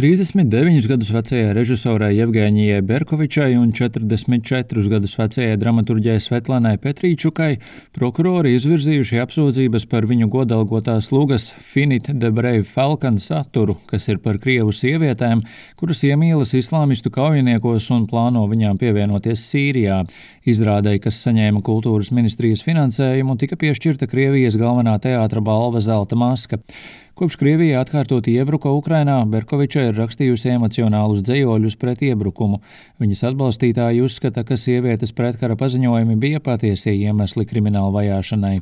39 gadus vecajai režisorai Jevgeņijai Berkovičai un 44 gadus vecajai dramaturģijai Svetlanai Petrīčukai prokurori izvirzījuši apsūdzības par viņu godalgotās lugas Finite the Brave Falcon saturu, kas ir par krievu sievietēm, kuras iemīlas islāmistu kaujiniekos un plāno viņām pievienoties Sīrijā. Izrādei, kas saņēma kultūras ministrijas finansējumu, tika piešķirta Krievijas galvenā teātra balva Zelta maska. Kopš Krievija atkārtoti iebruka Ukrainā, Berkoviča ir rakstījusi emocionālus dzejoļus pret iebrukumu. Viņas atbalstītāji uzskata, ka sievietes pretkara paziņojumi bija patiesie iemesli krimināla vajāšanai.